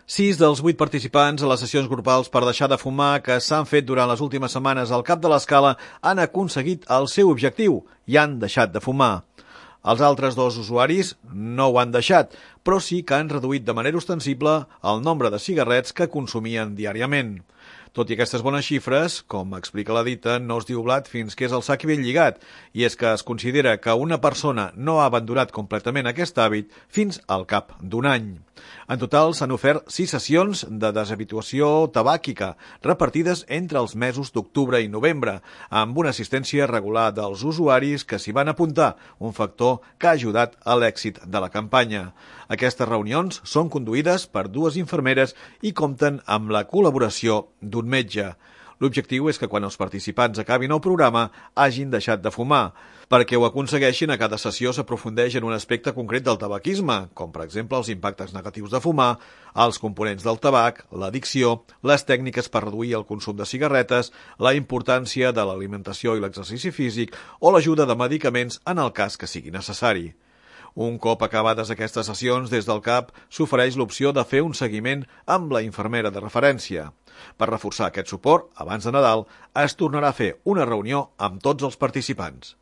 6 dels 8 participants a les sessions grupals per deixar de fumar que s'han fet durant les últimes setmanes al Cap de l'Escala han aconseguit el seu objectiu i han deixat de fumar. Els altres 2 usuaris no ho han deixat, però sí que han reduït de manera ostensible el nombre de cigarrets que consumien diàriament. Tot i aquestes bones xifres, com explica la dita, no es diu blat fins que és el sac ben lligat, i és que es considera que una persona no ha abandonat completament aquest hàbit fins al cap d'un any. En total s'han ofert 6 sessions de deshabituació tabàquica, repartides entre els mesos d'octubre i novembre, amb una assistència regular dels usuaris que s'hi van apuntar, un factor que ha ajudat a l'èxit de la campanya. Aquestes reunions són conduïdes per 2 infermeres i compten amb la col·laboració d'un metge. L'objectiu és que quan els participants acabin el programa hagin deixat de fumar. Perquè ho aconsegueixin, a cada sessió s'aprofundeix en un aspecte concret del tabaquisme, com per exemple els impactes negatius de fumar, els components del tabac, l'addicció, les tècniques per reduir el consum de cigarretes, la importància de l'alimentació i l'exercici físic o l'ajuda de medicaments en el cas que sigui necessari. Un cop acabades aquestes sessions, des del CAP s'ofereix l'opció de fer un seguiment amb la infermera de referència. Per reforçar aquest suport, abans de Nadal, es tornarà a fer una reunió amb tots els participants.